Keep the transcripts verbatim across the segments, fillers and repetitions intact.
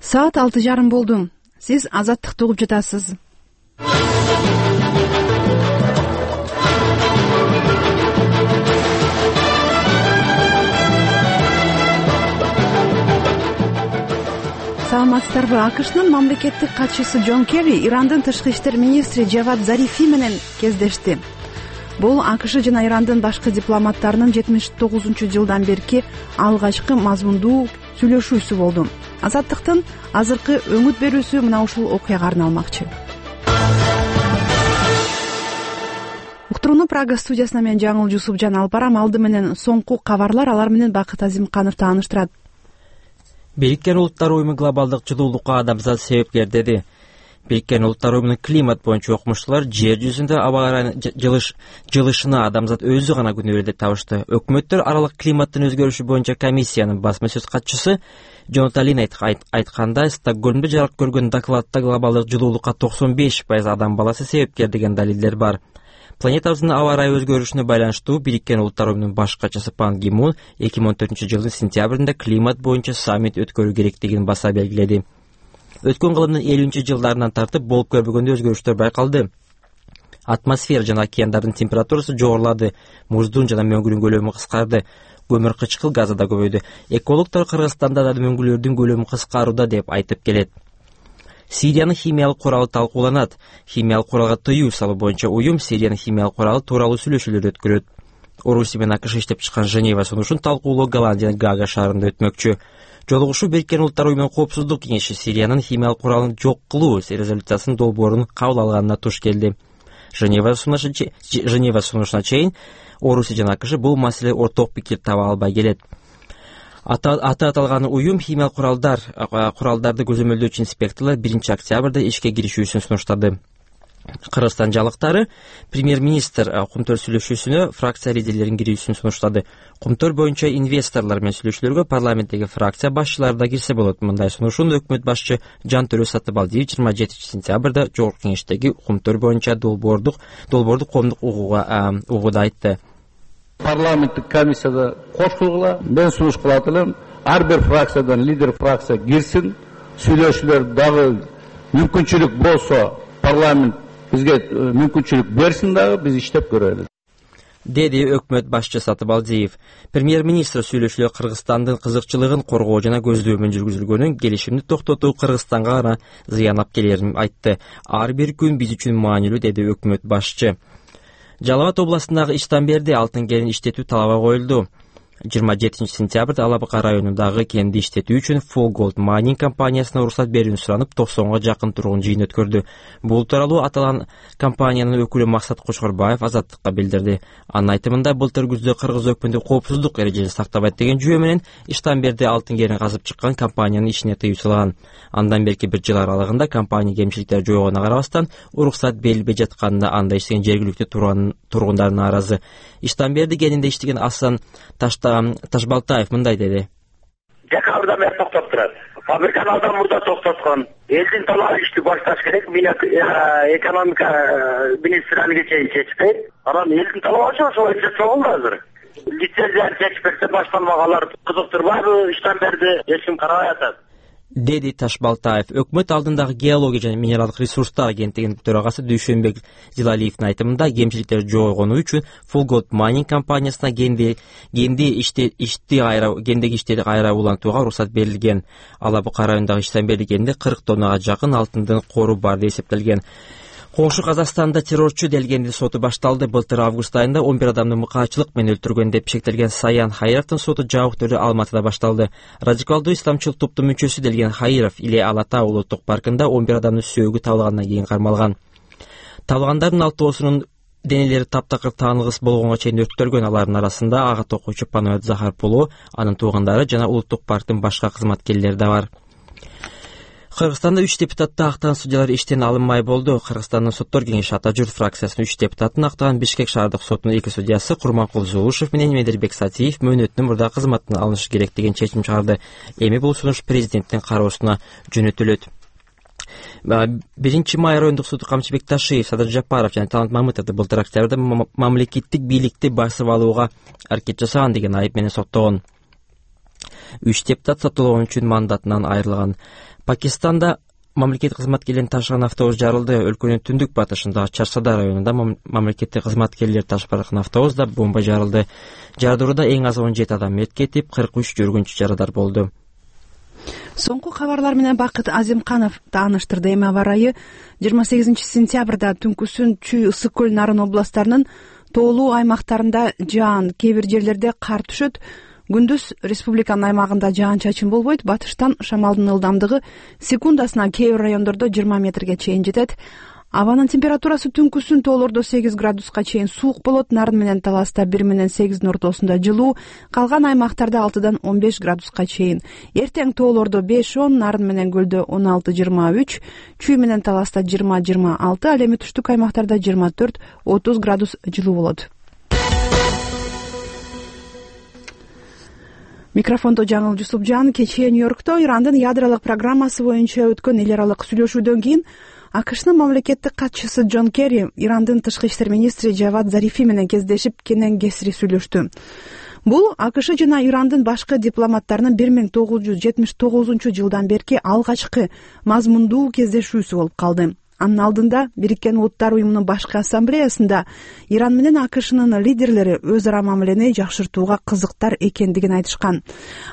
Саат алты жарым болду. Сиз Азаттыкты угуп жатасыз. Саламатсыздарбы? АКШнын мамлекеттик катчысы Джон Керри Ирандын тышкы иштер министри Джавад Зарифи менен кездешти. Бул АКШ жана Ирандын башкы дипломаттарынын жетимиш тогузунчу жылдан берки алгачкы мазмундуу сүйлөшүүсү болду. Азаттыктын азыркы өңүт берүүсү мына ушул окуяга арналмакчы. Уктурууну Прага студиясына мен Жаңыл Жусупжан алып барам. Алды менен соңку кабарлар, алар менен Бакыт Азимканов тааныштырат. Бириккен Улуттар уюму глобалдык жылуулукка адамзат себепкер деди. Бириккен Улуттар уюмунун климат боюнча окумуштуулар жер жүзүндө аба ырайынын жылышына адамзат өзү гана күнөө деп табышты. Өкмөттөр аралык климаттын өзгөрүшү боюнча комиссиянын басма сөз катчысы Джонатан Лин айткандай, Стокгольмдо жарык көргөн докладта глобалдык жылуулукка токсон беш пайыз адам баласы себепкер деген далилдер бар. Планетабыздын аба ырайы өзгөрүшүнө байланыштуу Бириккен Улуттар уюмунун баш катчысы Пан Ги Мун эки миң он төртүнчү жылдын сентябрында климат боюнча саммит өткөрүү керектигин баса белгиледи. Өткөн кылымдын элүүнчү жылдарынан тартып болуп көрбөгөндөй өзгөрүштөр байкалды. Атмосфера жана океандардын температурасы жогорулады, муздун жана мөңгүнүн көлөмү кыскарды, көмүр кычкыл газы да көбөйдү. Экологдор Кыргызстанда да мөңгүлөрдүн көлөмү кыскарууда деп айтып келет. Сириянын химиялык куралы талкууланат. Химиялык куралга тыюу салуу боюнча уюм Сириянын химиялык куралы тууралуу сүйлөшүүлөр өткөрөт. Орусия менен АКШ иштеп чыккан Женева сунушун талкуулоо Голландиянын Гага шаарында өтмөкчү. Жолугушуу Бириккен Улуттар уюмунун коопсуздук кеңеши Сириянын химиялык куралын жок кылуу резолюциясынын долбоорун кабыл алганына туш келди. Женева сунушуна чейин Орусия жана АКШ бул маселе орток пикир таба албай келет. Аты аталган уюм химиялык куралдар куралдарды көзөмөлдөөчү инспекторлор биринчи октябрда ишке киришүүсүн сунуштады. Кыргызстан жалыктары премьер-министр кумтөр сүйлөшүүсүнө фракция лидерлеринин кирүүсүн сунуштады. Кумтөр боюнча инвесторлор менен сүйлөшүүлөргө парламенттеги фракция башчылары да кирсе болот. Мындай сунушун өкмөт башчы Жантөрө Сатыбалдиев жыйырма жетинчи сентябрда жогорку кеңештеги кумтөр боюнча долбоордук долбоорду коомдук угууда айтты. Парламенттик комиссияда кошулгула, мен сунуш кылат элем, ар бир фракциядан лидер фракция кирсин, сүйлөшүүлөр дагы мүмкүнчүлүк болсо парламент бизге мүмкүнчүлүк берсин дагы, биз иштеп көрөлү, деди өкмөт башчы Сатыбалдиев. Премьер-министр сүйлөшүүлөр Кыргызстандын кызыкчылыгын коргоо жана көздөөмөн жүргүзүлгөнүн, келишимди токтотуу Кыргызстанга гана зыян алып келерин айтты. Ар бир күн биз үчүн маанилүү, деди өкмөт башчы. Жалал Абад областындагы Иштанберде алтын кенин иштетүү талабы коюлду. жыйырма жетинчи сентябрда Ала Бака районундагы кенди иштетүү үчүн Full Gold Mining компаниясына уруксат берүүнү суранып, токсонго жакын тургун жыйын өткөрдү. Бул тууралуу аталган компаниянын өкүлү Максат Кочкорбаев Азаттыкка билдирди. Анын айтымында, былтыр күздө Кыргыз өкмөтү коопсуздук эрежесин сактабайт деген жүйө менен Иштанберде алтын кенин казып чыккан компаниянын ишине тыюу салган. Андан берки бир жыл аралыгында компания кемчиликтер жойгонуна карабастан уруксат берилбей жатканына анда иштеген жергиликтүү тургундар нааразы. Иштанберде кенинде иштеген Асан Ташбалтаев мындай деди. Декабрда мен токтоп турат. Фабриканы алдан мурда токтоткон. Элдин талабы ишти башташ керек. Мен экономика министрлигине чейин чечпейт. Анан элдин талабы ошол чечсе болду азыр. Лицензияны чечпесе башталмаганлар кызыктырбайбы, Иштанберде чечим карабай атат, деди Ташбалтаев. Өкмөт алдындагы геология жана минералдык ресурстар агенттигинин төрагасы Дүйшөнбек Зилалиевдин айтымында, кемчиликтер жойгону үчүн Full Gold Mining компаниясына кенди кенди ишти ишти кайра кендеги иштери кайра улантууга уруксат берилген. Ала Бака районундагы Иштанберде кенинде кырк тоннага жакын алтындын кору бар деп эсептелген. Коңшу Казакстанда террорчу делгендин соту башталды. Былтыр август айында он бир адамды мыкаачылык менен өлтүргөн деп шектелген Саян Хайровдун соту жабык түрдө Алматыда башталды. Радикалдуу исламчыл топтун мүчөсү делген Хайров Иле Алата улуттук паркында он бир адамдын сөөгү табылгандан кийин кармалган. Табылгандардын алтоосунун денелери таптакыр таангыс болгонго чейин өрттөлгөн. Алардын арасында агат окуучу Паноет Захарпулу, анын туугандары жана улуттук парктын башка кызматкерлери да бар. Кыргызстанда үч депутатты актаган судьялар иштен алынмай болду. Кыргызстандын соттор кеңеши Ата Журт фракциясынын үч депутатын актаган Бишкек шаардык сотунун эки судьясы Курманкул Зулушев менен Медербек Сатиев мөөнөтүнөн мурда кызматтан алынышы керек деген чечим чыгарды. Эми бул сунуш президенттин кароосуна жөнөтүлөт. биринчи май райондук суду Камчыбек Ташиев, Садыр Жапаров жана Талант Мамытовду былтыр октябрда мамлекеттик бийликти басып алууга аракет жасаган деген айып менен соттогон. үч депутат соттолгон үчүн мандатынан айрылган. Пакистанда мамлекеттик кызматкерлерин ташыган автобус жарылды. Өлкөнүн түндүк батышындагы Чарсада районунда мамлекеттик кызматкерлер ташып барган автобуста бомба жарылды. Жардырууда эң аз он жети адам мерт кетип, кырк үч жүргүнчү жарадар болду. Соңку кабарлар менен Бакыт Азимканов тааныштырды. Эми аба ырайы жыйырма сегизинчи сентябрда түнкүсүн Чүй, Ысык көл, Нарын областтарынын тоолуу аймактарында жаан, кээ бир жерлерде кар түшөт. Күндүз республиканын аймагында жаан-чачын болбойт. Батыштан шамалдын ылдамдыгы секундасына кээ бир райондордо жыйырма метрге чейин жетет. Абанын температурасы түнкүсүн тоолордо сегиз градуска чейин суук болот. Нарын менен Таласта бир менен сегиздин ортосунда жылуу, калган аймактарда алтыдан он беш градуска чейин. Эртең тоолордо беш он, Нарын менен Көлдө он алты жыйырма үч, Чүй менен Таласта жыйырма жыйырма алты, ал эми түштүк аймактарда жыйырма төрт отуз градус жылуу болот. Микрофондо Жаңыл Жусупжан. Кечээ Нью-Йоркто Ирандын ядролук программасы боюнча өткөн эл аралык сүйлөшүүдөн кийин АКШнын мамлекеттик катчысы Джон Керри Ирандын тышкы иштер министри Джавад Зарифи менен кездешип, кенен кесири сүйлөштү. Бул АКШ жана Ирандын башкы дипломаттарынын бир миң тогуз жүз жетимиш тогузунчу жылдан берки алгачкы мазмундуу кездешүүсү болуп калды. Анын алдында Бириккен Улуттар уюмунун башкы ассамблеясында Иран менен АКШнын лидерлери өз ара мамилени жакшыртууга кызыктар экендигин айтышкан.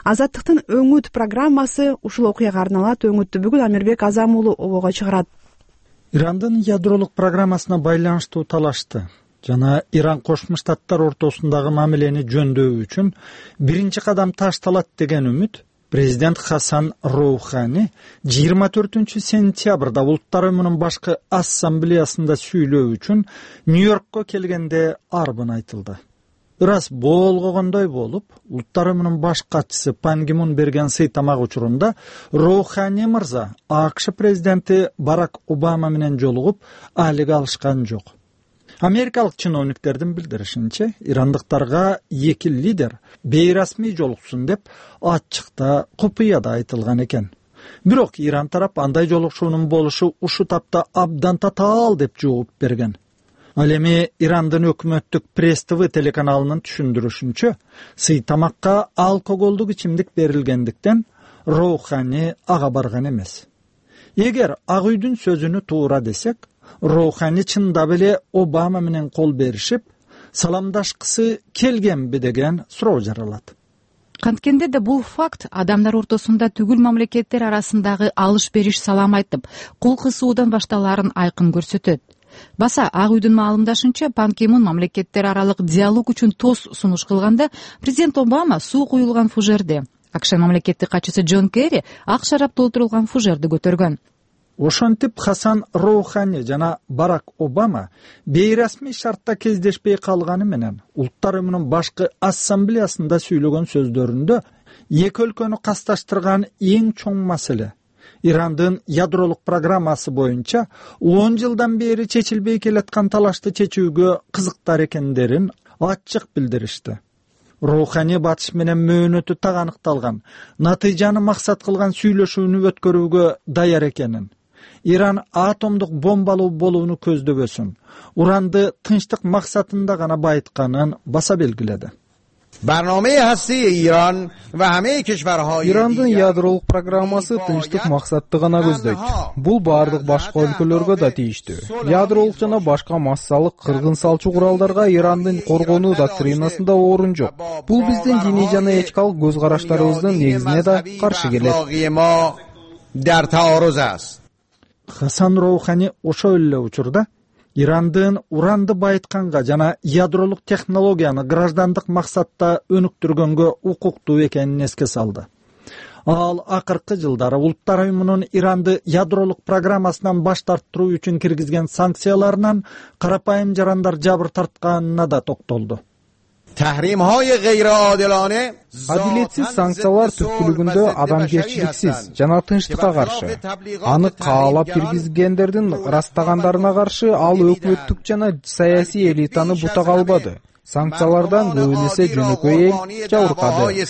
Азаттыктын Өңүт программасы ушул окуяга арналат. Өңүттү бүгүн Амирбек Азам уулу обого чыгарат. Ирандын ядролук программасына байланыштуу талашты жана Иран Кошмо Штаттар ортосундагы мамилени жөндөүү үчүн биринчи кадам ташталат деген үмүт президент Хасан Роухани жыйырма төртүнчү сентябрда Улуттар уюмунун башкы ассамблеясында сүйлөө үчүн Нью-Йоркко келгенде арбын айтылды. Ырас болгогондой болуп, Улуттар уюмунун баш катчысы Пан Ги Мун берген сый тамак учурунда Роухани мырза АКШ президенти Барак Обама менен жолугуп, алек алышкан жок. Америкалык чиновниктердин билдиришинче, ирандыктарга эки лидер бейрасмий жолуксун деп ачыкта, купуяда айтылган экен. Бирок Иран тарап андай жолукушуунун болушу ушу тапта абдан татаал деп жооп берген. Ал эми Ирандын өкмөттүк Пресс-ТВ телеканалынын түшүндүрүшүнчө, сый тамакка алкоголдук ичимдик берилгендиктен Роухани ага барган эмес. Эгер Ак үйдүн сөзүнү туура десек, Роухани чындап эле Обама менен кол беришип, саламдашкысы келгенби деген суроо жаралат. Канткенде да бул факт адамдар ортосунда түгүл мамлекеттер арасындагы алыш-бериш салам айтып, кол кысуудан башталаарын айкын көрсөтөт. Баса Ак үйдүн маалымдашынча, Пан Ги Мун мамлекеттер аралык диалог үчүн тос сунуш кылганда, президент Обама суу куюлган фужерди, АКШ мамлекеттик катчысы Джон Керри ак шарап толтурулган фужерди көтөргөн. Ошентип Хасан Роухани жана Барак Обама бейрасмий шартта кездешпей калганы менен Улуттар уюмунун башкы ассамблеясында сүйлөгөн сөздөрүндө эки өлкөнү касташтырган эң чоң маселе Ирандын ядролук программасы боюнча он жылдан бери чечилбей келаткан талашты чечүүгө кызыктар экендерин ачык билдиришти. Роухани батыш менен мөөнөтү так аныкталган, натыйжаны максат кылган сүйлөшүүнү өткөрүүгө даяр экенин, Иран атомдук бомбалуу болууну көздөбөсүн, уранды тынчтык максатында гана байытканын баса белгиледи. Ирандын ядролук программасы тынчтык максатты гана көздөйт. Бул бардык башка өлкөлөргө да тийиштүү. Ядролук жана башка массалык кыргын салчу куралдарга Ирандын коргонуу доктринасында орун жок. Бул биздин диний жана этикалык көз караштарыбыздын негизине да каршы келет. Хасан Роухани ошол эле учурда Ирандын уранды байытканга жана ядролук технологияны граждандык максатта өнүктүргөнгө укуктуу экенин эске салды. Ал акыркы жылдары Улуттар уюмунун Иранды ядролук программасынан баш тарттыруу үчүн киргизген санкцияларынан карапайым жарандар жабыр тартканына да токтолду. Адилетсиз санкциялар түпкүлүгүндө адамгерчиликсиз жана тынчтыкка каршы. Аны каалап киргизгендердин ырастагандарына каршы ал өкмөттүк жана саясий элитаны бутак албады. Санкциялардан көбүн эсе жөнөкөй эл жабыркады.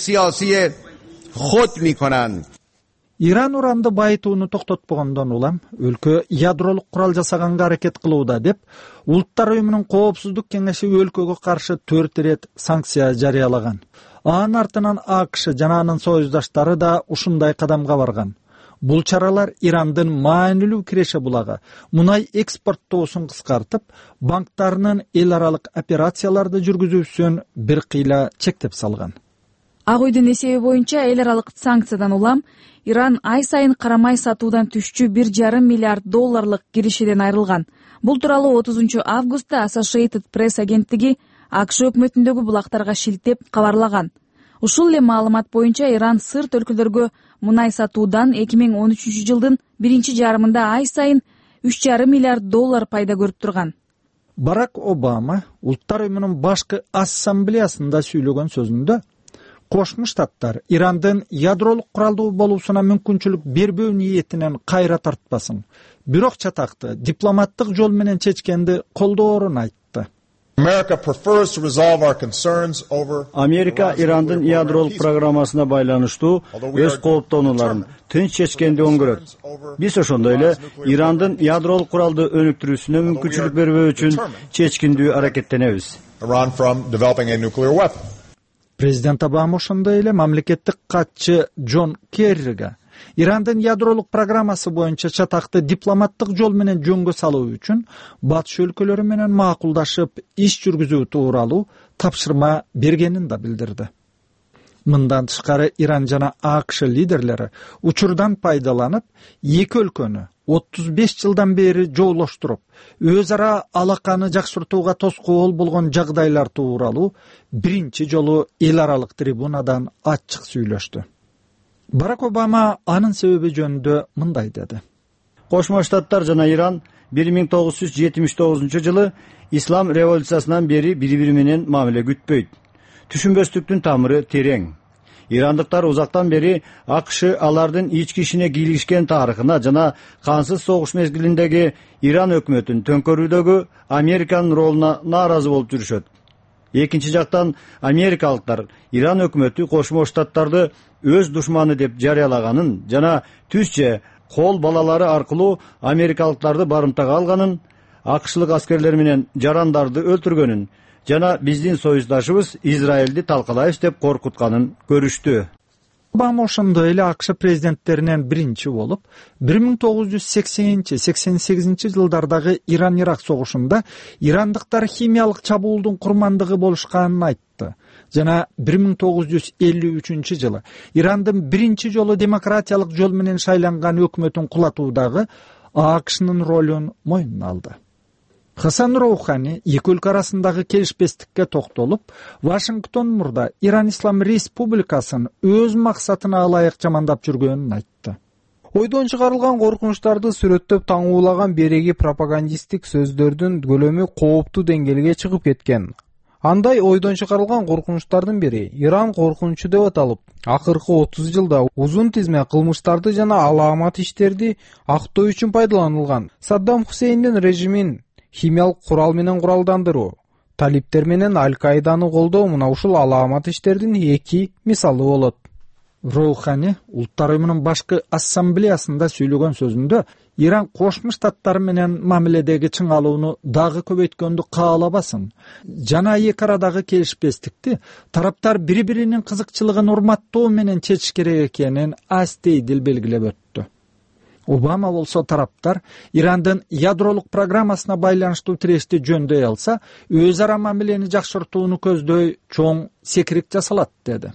Иран уранды байытууну токтотпогондон улам өлкө ядролук курал жасаганга аракет кылууда деп Улуттар уюмунун коопсуздук кеңеши өлкөгө каршы төрт ирет санкция жарыялаган. Анын артынан АКШ жана анын союздаштары да ушундай кадамга барган. Бул чаралар Ирандын маанилүү киреше булагы мунай экспорттоосун кыскартып, банктарынын эл аралык операцияларды жүргүзүүсүн бир кыйла чектеп салган. Ак үйдүн эсеби боюнча эл аралык санкциядан улам Иран ай сайын карамай сатуудан түшчү бир жарым миллиард долларлык киришиден айрылган. Бул тууралуу отузунчу августта Associated Press агенттиги АКШ өкмөтүндөгү булактарга шилтеп кабарлаган. Ушул эле маалымат боюнча Иран сырт өлкөлөргө мунай сатуудан эки миң он үчүнчү жылдын биринчи жарымында ай сайын үч жарым миллиард доллар пайда көрүп турган. Барак Обама Улуттар уюмунун башкы ассамблеясында сүйлөгөн сөзүндө Кошмо Штаттар Ирандын ядролук куралдуу болуусуна мүмкүнчүлүк бербөө ниетинен кайра тартпасын, бирок чатакты дипломаттык жол менен чечкенди колдоорун айтты. Америка Ирандын ядролук программасына байланыштуу өз кооптонууларын тынч чечкенди оңгөрөт. Биз ошондой эле Ирандын ядролук куралды өнүктүрүүсүнө мүмкүнчүлүк бербөө үчүн чечкиндүү аракеттенебиз. Президент Обама ошондой эле мамлекеттик катчы Джон Керриге Ирандын ядролук программасы боюнча чатакты дипломаттык жол менен жөнгө салуу үчүн батыш өлкөлөрү менен макулдашып иш жүргүзүү тууралуу тапшырма бергенин да билдирди. Мындан тышкары Иран жана АКШ лидерлери учурдан пайдаланып, эки өлкөнү отуз беш жылдан бери жоолоштуруп, өз ара алаканы жакшыртууга тоскоол болгон жагдайлар тууралуу биринчи жолу эл аралык трибунадан ачык сүйлөштү. Барак Обама анын себеби жөнүндө мындай деди. Кошмо Штаттар жана Иран бир миң тогуз жүз жетимиш тогузунчу жылы ислам революциясынан бери бири-бири менен мамиле күтпөйт. Түшүнбөстүктүн тамыры терең. Ирандыктар узактан бери АКШ алардын ички ишине кийлишкен тарыхына жана кансыз согуш мезгилиндеги Иран өкмөтүн төңкөрүүдөгү Американын ролуна нааразы болуп жүрүшөт. Экинчи жактан америкалыктар Иран өкмөтү Кошмо Штаттарды өз душманы деп жарыялаганын жана түз же кол балалары аркылуу америкалыктарды барымтага алганын, АКШлык аскерлер менен жарандарды өлтүргөнүн жана биздин союздашыбыз Израилди талкалайбыз деп коркутканын көрүштү. Обама ошондой эле АКШ президенттеринен биринчи болуп, бир миң тогуз жүз сексенинчи сексен сегизинчи жылдардагы Иран-Ирак согушунда ирандыктар химиялык чабуулдун курмандыгы болушканын айтты. Жана бир миң тогуз жүз элүү үчүнчү жылы Ирандын биринчи жолу демократиялык жол менен шайланган өкмөтүн кулатуудагы АКШнын ролун мойнуна алды. Хасан Роухани эки өлкө арасындагы келишпестикке токтолуп, Вашингтон мурда Иран Ислам Республикасын өз максатына ылайык жамандап жүргөнүн айтты. Ойдон чыгарылган коркунучтарды сүрөттөп таңуулаган береги пропагандисттик сөздөрдүн көлөмү кооптуу деңгээлге чыгып кеткен. Андай ойдон чыгарылган коркунучтардын бири Иран коркунучу деп аталып, акыркы отуз жылда узун тизме кылмыштарды жана алаамат иштерди актоо үчүн пайдаланылган Саддам Хусейндин режимин химиялык курал менен куралдандыруу, талиптер менен Аль-Каиданы колдоо мына ушул алаамат иштердин эки мисалы болот. Роухани Улуттар уюмунун башкы ассамблеясында сүйлөгөн сөзүндө Иран Кошмо Штаттар менен мамиледеги чыңалууну дагы көбөйткөндү каалабасын жана эки арадагы келишпестикти тараптар бири-биринин кызыкчылыгын урматтоо менен чечиш керек экенин астейдил белгилеп өттү. Обама болсо тараптар Ирандын ядролук программасына байланыштуу тирешти жөндөй алса, өз ара мамилени жакшыртууну көздөй чоң секирик жасалат деди.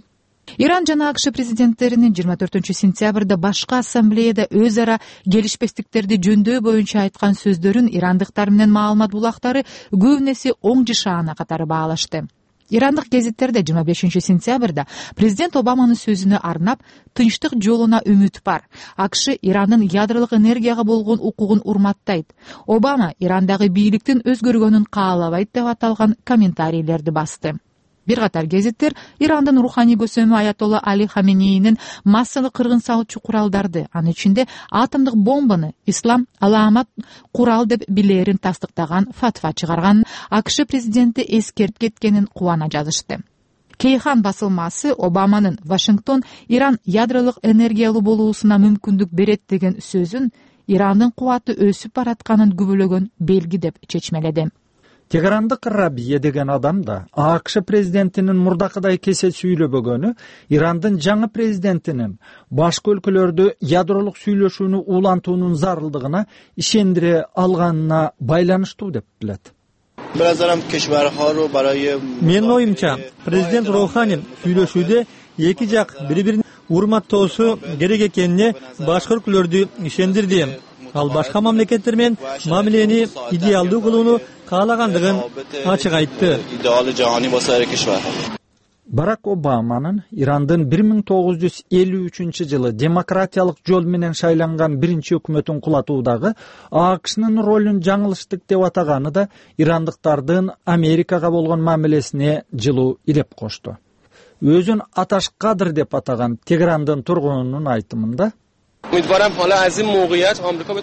Иран жана АКШ президенттеринин жыйырма төртүнчү сентябрда башкы ассамблеяда өз ара келишпестиктерди жөндөй боюнча айткан сөздөрүн ирандыктар менен маалымат булактары көбүнесе оң жышаана катары баалашты. Ирандык гезиттерде жыйырма бешинчи сентябрда президент Обаманын сөзүнө арнап тынчтык жолуна үмүт бар. АКШ Ирандын ядролук энергияга болгон укугун урматтайт. Обама Ирандагы бийликтин өзгөргөнүн каалабайт деп аталган комментарийлерди басты. Бир катар гезиттер Ирандын руханий көсөмү Аятолла Али Хаменейнин массалык кыргын салуучу куралдарды, анын ичинде атомдук бомбаны ислам алаамат курал деп билерин тастыктаган фатва чыгарганын АКШ президенти эскертип кеткенин кубана жазышты. Кейхан басылмасы Обаманын Вашингтон Иран ядролук энергиялуу болуусуна мүмкүндүк берет деген сөзүн Ирандын кубаты өсүп баратканын күбөлөгөн белги деп чечмеледи. Тегерандык Рабия деген адам да АКШ президентинин мурдакыдай кесе сүйлөбөгөнү Ирандын жаңы президентинин башка өлкөлөрдө ядролук сүйлөшүүнү улантуунун зарылдыгына ишендире алганына байланыштуу деп билет. Менин оюмча, президент Роухани сүйлөшүүдө эки жак бири-бирин урматтоосу керек экенине башка өлкөлөрдү ишендирди. Ал башка мамлекеттер менен мамилени идеалдуу кылууну каалагандыгын ачык айтты. Барак Обаманын Ирандын бир миң тогуз жүз элүү үчүнчү жылы демократиялык жол менен шайланган биринчи өкмөтүн кулатуудагы АКШнын ролун жаңылыштык деп атаганы да ирандыктардын Америкага болгон мамилесине жылуу иреп кошту. Өзүн Аташкадыр деп атаган Тегерандын тургунунун айтымында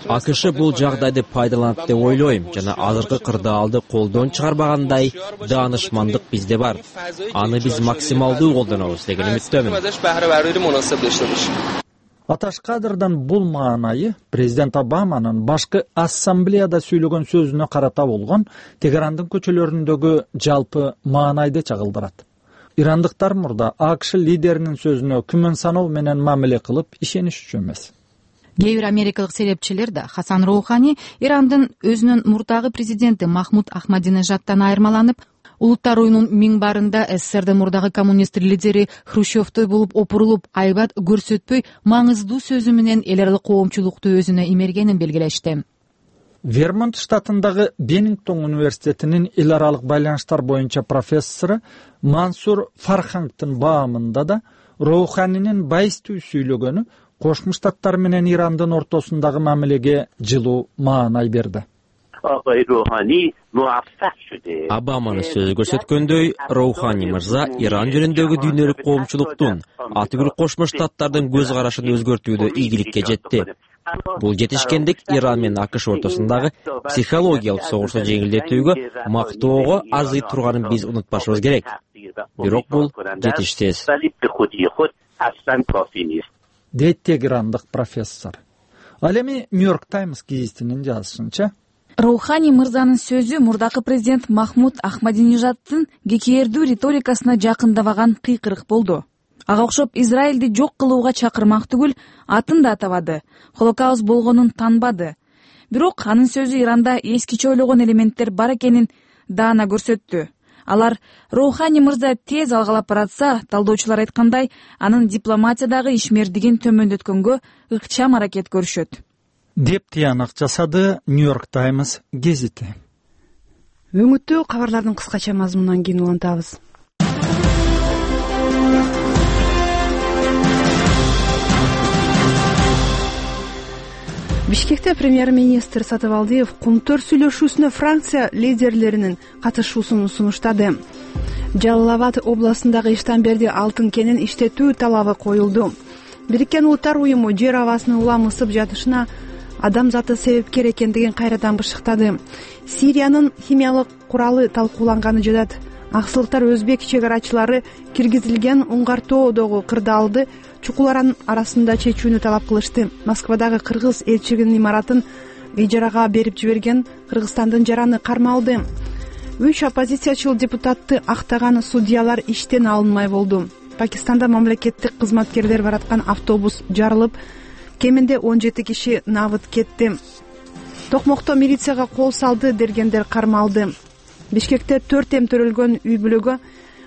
АКШ бул жагдайды пайдаланат деп ойлойм жана азыркы кырдаалды колдон чыгарбагандай даанышмандык бизде бар. Аны биз максималдуу колдонобуз деген үмүттөмүн. Аташкадырдан бул маанайы президент Обаманын башкы ассамблеяда сүйлөгөн сөзүнө карата болгон Тегерандын көчөлөрүндөгү жалпы маанайды чагылдырат. Ирандыктар мурда АКШ лидеринин сөзүнө күмөн саноо менен мамиле кылып ишенишчү эмес. Кээ бир америкалык серепчилер да Хасан Роухани Ирандын өзүнүн мурдагы президенти Махмуд Ахмадинежадтан айырмаланып, улуттар оюнун минбарында СССРдин мурдагы коммунист лидери Хрущевтой болуп опурулуп, айбат көрсөтпөй маңыздуу сөзү менен эл аралык коомчулукту өзүнө имергенин белгилешти. Вермонт штатындагы Беннингтон университетинин эл аралык байланыштар боюнча профессору Мансур Фархангдын баамында да Роуханинин байыстуу сүйлөгөнү Кошмо Штаттар менен Ирандын ортосундагы мамилеге жылуу маанай берди. Обаманы сөз көрсөткөндөй, Роухани мырза Иран жөнүндөгү дүйнөлүк коомчулуктун, атүгүл Кошмо Штаттардын көз карашын өзгөртүүдө ийгиликке жетти. Бул жетишкендик Иран менен АКШ ортосундагы психологиялык согушту жеңилдетүүгө, мактоого арзый турганын биз унутпашыбыз керек. Бирок бул жетишсиз. Дейт тегерандык профессор. Ал эми Нью-Йорк Таймс гезитинин жазышынча, Роухани мырзанын сөзү мурдакы президент Махмуд Ахмадинежадтын кекээрдүү риторикасына жакындабаган кыйкырык болду. Ага окшоп Израилди жок кылууга чакырмак түгүл, атын да атабады, Холокауст болгонун танбады. Бирок анын сөзү Иранда эскиче ойлогон элементтер бар экенин даана көрсөттү. Алар Роухани мырза тез алгалап баратса, талдоочулар айткандай, анын дипломатиядагы ишмердигин төмөндөткөнгө ыкчам аракет көрүшөт. Деп тыянак жасады Нью-Йорк Таймс гезити. Өңүттүү кабарлардын кыскача мазмунунан кийин улантабыз. Бишкекте премьер-министр Сатыбалдиев Кумтөр сүйлөшүүсүнө Франция лидерлеринин катышуусун сунуштады. Жалал-Абад областындагы Иштанберди алтын кенин иштетүү талабы коюлду. Бириккен Улуттар уюму жер абасынын улам ысып жатышына адамзаты себепкер экендигин кайрадан бышыктады. Сириянын химиялык куралы талкууланганы жатат. Аксылыктар өзбек чек арачылары киргизилген уңгартоодогу кырдаалды чукулар арасында чечүүнү талап кылышты. Москвадагы кыргыз элчилигинин имаратын ижарага берип жиберген Кыргызстандын жараны кармалды. Үч оппозициячыл депутатты актаган судьялар иштен алынмай болду. Пакистанда мамлекеттик кызматкерлер бараткан автобус жарылып, кеминде он жети киши набыт кетти. Токмокто милицияга кол салды дергендер кармалды. Бишкекте төрт эм төрөлгөн үй бүлөгө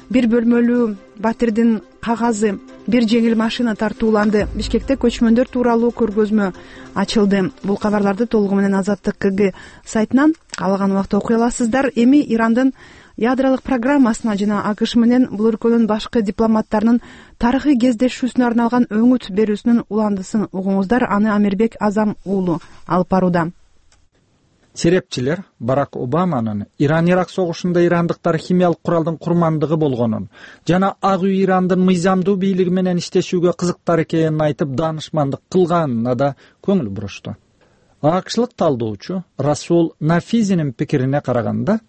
бир бөлмөлүү батирдин кагазы, бир жеңил машина тартууланды. Бишкекте көчмөндөр тууралуу көргөзмө ачылды. Бул кабарларды толугу менен Азаттык КГ сайтынан каалаган убакта окуй аласыздар. Эми Ирандын ядролук программасына жана АКШ менен бул өлкөнүн башкы дипломаттарынын тарыхый кездешүүсүнө арналган өңүт берүүсүнүн уландысын угуңуздар. Аны Амирбек Азам уулу алып барууда. Серепчилер Барак Обаманын Иран-Ирак согушунда ирандыктар химиялык куралдын курмандыгы болгонун жана Ак үй Ирандын мыйзамдуу бийлиги менен иштешүүгө кызыктар экенин айтып даанышмандык кылганына да көңүл бурушту. АКШлык талдоочу Расул Нафизинин пикирине караганда,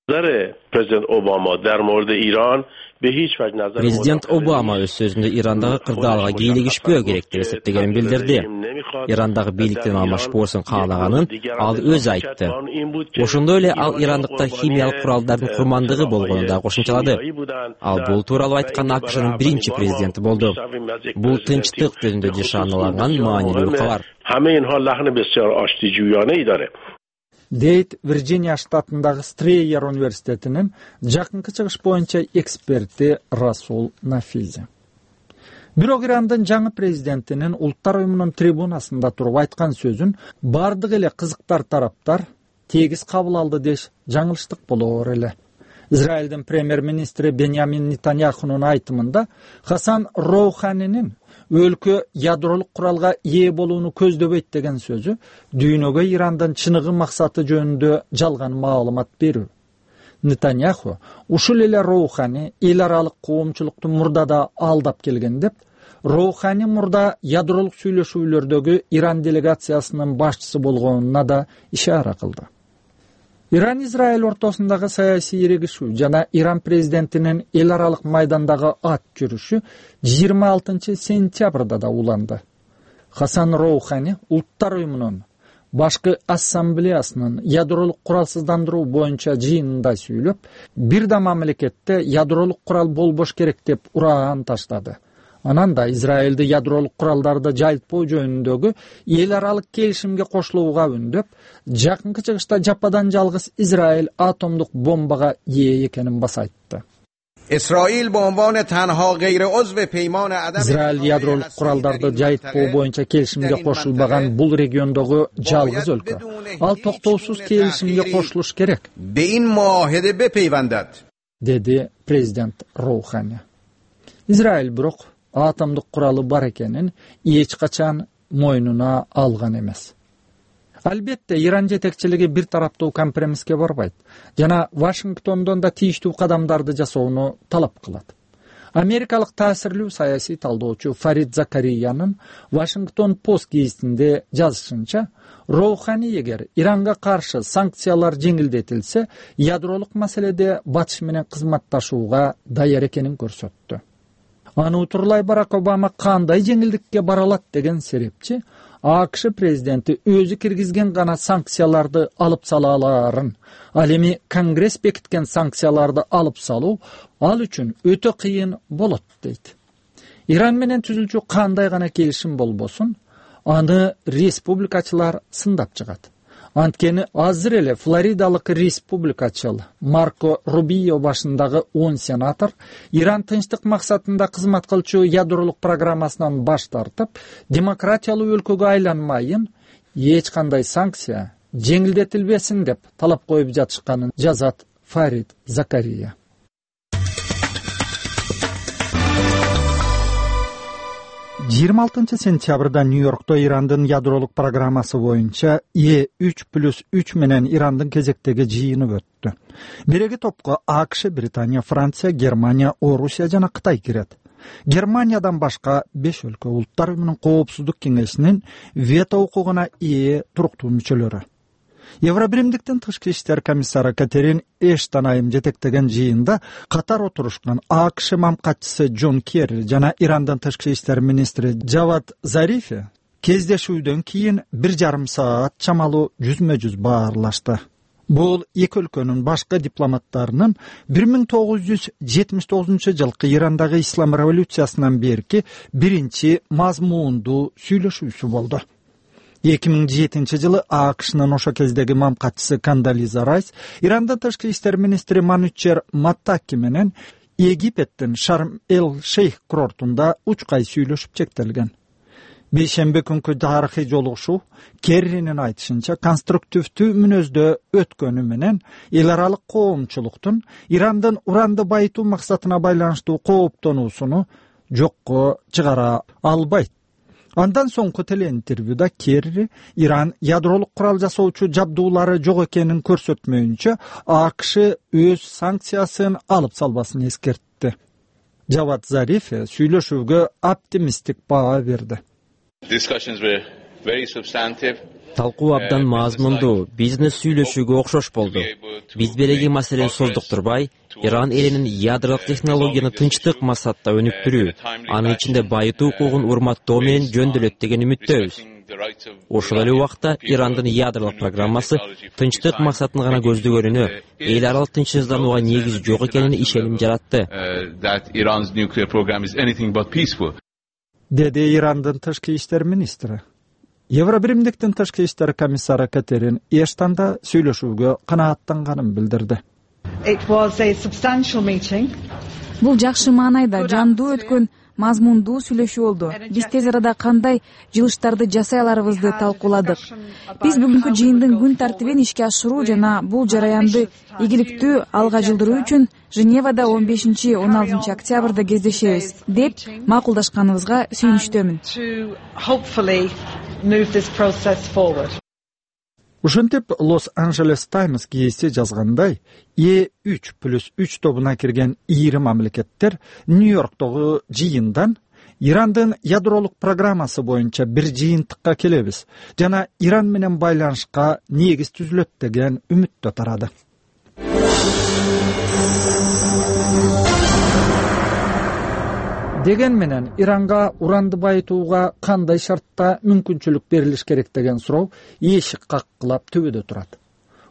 نظر پرزیدنت اوباما در مورد ایران Президент Обама өз сөзүндө Ирандагы кырдаалга кийлигишпөө керек деп эсептегенин билдирди. Ирандагы бийликтен алмашпоосун каалаганын ал өзү айтты. Ошондой эле ал ирандыкта химиялык куралдардын курмандыгы болгонун да кошумчалады. Ал бул тууралуу айткан АКШнын биринчи президенти болду. Бул тынчтык жөнүндө нишаналанган маанилүү кабар. дейт Вирджиния штатындагы Стрейер университетинин жакынкы чыгыш боюнча эксперти Расул Нафизи. Бирок Ирандын жаңы президентинин Улуттар уюмунун трибунасында туруп айткан сөзүн бардык эле кызыктар тараптар тегиз кабыл алды деш жаңылыштык болоор эле. Израилдин премьер-министри Беньямин Нетаньяхунун айтымында Хасан Роуханинин өлкө ядролук куралга ээ болууну көздөбөйт деген сөзү дүйнөгө Ирандын чыныгы максаты жөнүндө жалган маалымат берүү. Нетаньяху ушул эле Роухани эл аралык коомчулукту мурдада алдап келген деп, Роухани мурда ядролук сүйлөшүүлөрдөгү Иран делегациясынын башчысы болгонуна да ишара кылды. Иран-Израиль ортосундагы саясий ирегишүү жана Иран президентинин эл аралык майдандагы ат жүрүшү жыйырма алтынчы сентябрда да уланды. Хасан Роухани Улуттар уюмунун башкы ассамблеясынын ядролук куралсыздандыруу боюнча жыйынында сүйлөп, бир да мамлекетте ядролук курал болбош керек деп ураан таштады. Анан да Израилди ядролук куралдарды жайылтпоо жөнүндөгү эл аралык келишимге кошулууга үндөп, жакынкы чыгышта жападан жалгыз Израиль атомдук бомбага ээ экенин баса айтты. Израиль ядролук куралдарды жайылтпоо боюнча келишимге кошулбаган бул региондогу жалгыз өлкө. Ал токтоосуз келишимге кошулуш керек, деди президент Роухани. Израиль бирок атомдук куралы бар экенин эч качан мойнуна алган эмес. Албетте, Иран жетекчилиги бир тараптуу компромисске барбайт жана Вашингтондон да тийиштүү кадамдарды жасоону талап кылат. Америкалык таасирлүү саясий талдоочу Фарид Закариянын Вашингтон Пост гезитинде жазышынча, Роухани эгер Иранга каршы санкциялар жеңилдетилсе, ядролук маселеде Батыш менен кызматташууга даяр экенин көрсөттү. Аны утурлай Барак Обама кандай жеңилдикке бара алат деген серепчи, АКШ президенти өзү киргизген гана санкцияларды алып сала аларын, ал эми Конгресс бекиткен санкцияларды алып салуу ал үчүн өтө кыйын болот дейт. Иран менен түзүлчү кандай гана келишим болбосун, аны республикачылар сындап чыгат. Анткени азыр эле Флоридалык республикачыл Марко Рубио башындагы он сенатор Иран тынчтык максатында кызмат кылчу ядролук программасынан баш тартып, демократиялуу өлкөгө айланмайын, эч кандай санкция жеңилдетилбесин деп талап коюп жатышканын жазат Фарид Закария. жыйырма алтынчы сентябрда Нью-Йоркто Ирандын ядролук программасы боюнча Е үч плюс үч менен Ирандын кезектеги жыйыны өттү. Биреги топко АКШ, Британия, Франция, Германия, Орусия жана Кытай кирет. Германиядан башка беш өлкө Улуттар уюмунун коопсуздук кеңешинин вето укугуна ээ туруктуу мүчөлөрү. Евробиримдиктин тышкы иштер комиссары Катерин Эштон айым жетектеген жыйында катар отурушкан АКШ мамкатчысы Джон Керри жана Ирандын тышкы иштер министри Джавад Зарифи кездешүүдөн кийин бир жарым саат чамалуу жүзмө-жүз баарлашты. Бул эки өлкөнүн башкы дипломаттарынын бир миң тогуз жүз жетимиш тогузунчу жылкы Ирандагы ислам революциясынан берки биринчи мазмуундуу сүйлөшүүсү болду. эки миң жетинчи жылы АКШнын ошо кездеги мамкатчысы Кандализа Райс Ирандын тышкы иштер министри Манучер Маттаки менен Египеттин Шарм-эль-Шейх курортунда учкай сүйлөшүп чектелген. Бейшемби күнкү тарыхый жолугушуу Керринин айтышынча конструктивдүү мүнөздө өткөнү менен эл аралык коомчулуктун Ирандын уранды байытуу максатына байланыштуу кооптонуусуну жокко чыгара албайт. Андан соңку телеинтервьюда Керри Иран ядролук курал жасоочу жабдуулары жок экенин көрсөтмөйүнчө АКШ өз санкциясын алып салбасын эскертти. Джавад Зариф сүйлөшүүгө оптимисттик баа берди. Талкуу абдан мазмундуу, бизнес сүйлөшүүгө окшош болду. Биз береги маселени создуктурбай, Иран элинин ядролук технологияны тынчтык максатта өнүктүрүү, анын ичинде байытуу укугун урматтоо менен жөндөөлөт деген үмүттөбүз. Ошол эле убакта Ирандын ядролук программасы тынчтык максатын гана көздөгөнүнө, эл аралык тынчсызданууга негиз жок экенине ишеним жаратты. Деди Ирандын тышкы иштер министри. Евробиримдиктин тышкы иштер комиссары Катерин Эштон да сүйлөшүүгө канааттанганын билдирди. Бул жакшы маанайда жандуу өткөн мазмундуу сүйлөшүү болду. Биз тез арада кандай жылыштарды жасай аларыбызды талкууладык. Биз бүгүнкү жыйындын күн тартибин ишке ашыруу жана бул жараянды ийгиликтүү алга жылдыруу үчүн Женевада он бешинчи он алтынчы октябрда кездешебиз деп макулдашканыбызга сүйүнүчтөмүн. Ушинтип Лос-Анджелес Таймс гезити жазгандай, Е үч плюс үч тобуна кирген ийри мамлекеттер Нью-Йорктогу жыйындан Ирандын ядролук программасы боюнча бир жыйынтыкка келебиз жана Иран менен байланышка негиз түзүлөт деген үмүттө тарады. Деген менен Иранга уранды байытууга кандай шартта мүмкүнчүлүк берилиш керек деген суроо эшик каккылап төбөдө турат.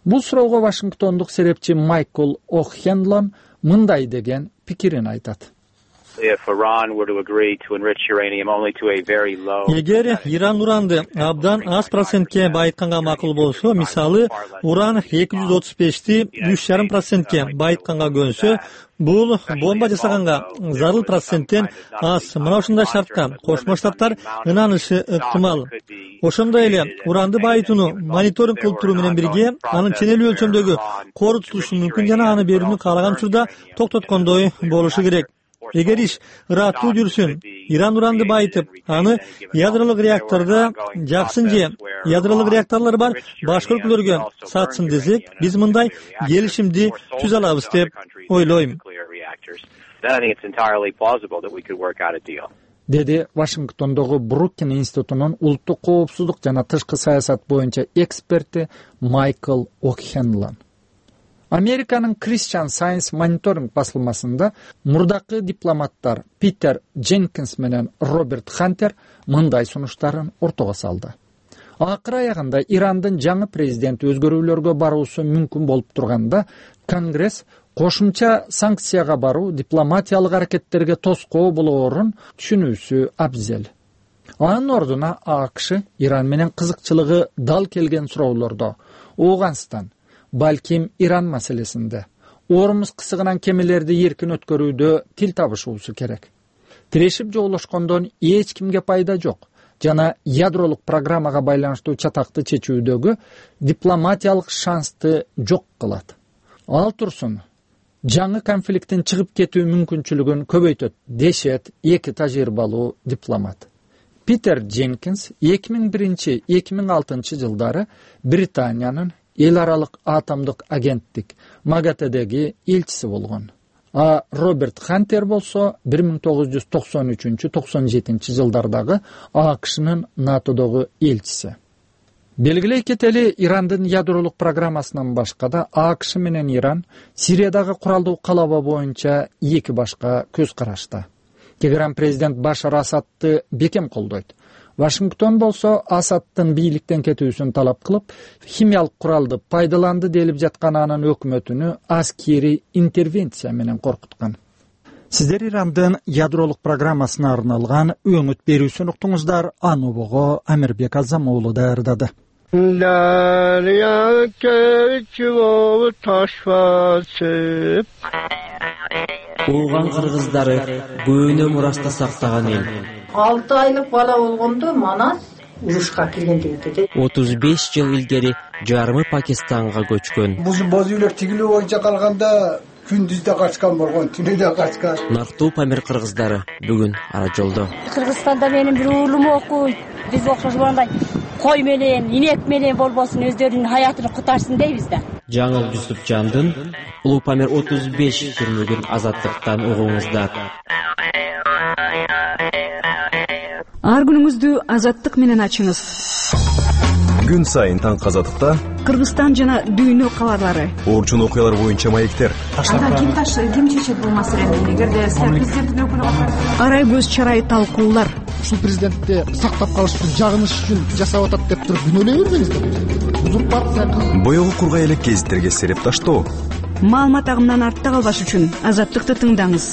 Бул суроого Вашингтондук серепчи Майкл О'Хенлон мындай деген пикирин айтат. Эгер Иран уранды абдан аз процентке байытканга макул болсо, мисалы, уран эки жүз отуз бешти үч жарым процентке байытканга көнсө, бул бомба жасаганга зарыл проценттен аз. Мына ушундай шартта Кошмо Штаттар ынанышы ыктымал. Ошондой эле уранды байытууну мониторинг кылып туруу менен бирге анын ченелүү өлчөмдөгү корутулушу мүмкүн жана аны берүүнү каалаган учурда токтоткондой болушу керек. Эгер иш ыраттуу жүрсүн, Иран уранды байытып, аны ядролук реактордо жаксын же ядролук реакторлор бар башка өлкөлөргө сатсын десек, биз мындай келишимди түзө алабыз деп ойлойм. Деди Вашингтондогу Брукин институтунун улуттук коопсуздук жана тышкы саясат боюнча эксперти Майкл О'Хенлон. Американын Christian Science Monitoring басылмасында мурдакы дипломаттар Питер Дженкинс менен Роберт Хантер мындай сунуштарын ортого салды. Акыр аягында Ирандын жаңы президенти өзгөрүүлөргө баруусу мүмкүн болуп турганда, Конгресс кошумча санкцияга баруу дипломатиялык аракеттерге тоскоо болоорун түшүнүүсү абзел. Анын ордуна АКШ Иран менен кызыкчылыгы дал келген суроолордо Ооганстан, балким Иран маселесинде, Ормуз кысыгынан кемелерди эркин өткөрүүдө тил табышуусу керек. Тирешип жоолошкондон эч кимге пайда жок жана ядролук программага байланыштуу чатакты чечүүдөгү дипломатиялык шансты жок кылат. Ал турсун, жаңы конфликттин чыгып кетүү мүмкүнчүлүгүн көбөйтөт, дешет эки тажрыйбалуу дипломат. Питер Дженкинс эки миң биринчи — эки миң алтынчы жылдары Британиянын эл аралык атомдук агенттик МАГАТЭдеги элчиси болгон. А Роберт Хантер болсо бир миң тогуз жүз токсон үчүнчү — токсон жетинчи жылдардагы АКШнын НАТОдогу элчиси. Белгилей кетели, Ирандын ядролук программасынан башка да АКШ менен Иран Сириядагы куралдуу калаба боюнча эки башка көз карашта. Тегеран президент Башар Асадты бекем колдойт. Вашингтон болсо Асадтын бийликтен кетүүсүн талап кылып, химиялык куралды пайдаланды делип жаткан анын өкмөтүнү аскери интервенция менен коркуткан. Сиздер Ирандын ядролук программасына арналган өңүт берүүсүн уктуңуздар. Анубого Амирбек Азамоğlu даярдады. Ооган кыргыздары көөнө мурашта сактаган эл. алты айлык бала болгондо Манас урушка кирген деп. отуз беш жыл илгери жарымы Пакистанга көчкөн. Боз үйлөр тигилүү боюнча калганда күндүздө качкан болгон, түнүдө качкан. Нартуу Памир кыргыздары бүгүн ара жолдо. Кыргызстанда менин бир уулум окуйт. Биз окшошгондой кой менен, инек менен болбосун өздөрүнүн хаятын кутарсын дейбиз да. Жаңыл Жусупжандын Улуу Памир отуз беш түрмөгүн азаттыктан угуңуздар. Ар күнүңүздү азаттык менен ачыңыз. Күн сайын таң казатыкта Кыргызстан жана дүйнө кабарлары. Орчун окуялар боюнча маектер. Анда ким таштайт, ким чечет бул маселени? Эгерде сиз президенттин өкүлү катары арай көз чарай талкуулар. Ушул президентти сактап калыштын жагыныш үчүн жасап атат деп туруп күнөөлөй бербеңиздер. Узурпация. Боёгу кургай элек гезиттерге сереп таштоо. Маалымат агымынан артта калбаш үчүн Азаттыкты тыңдаңыз.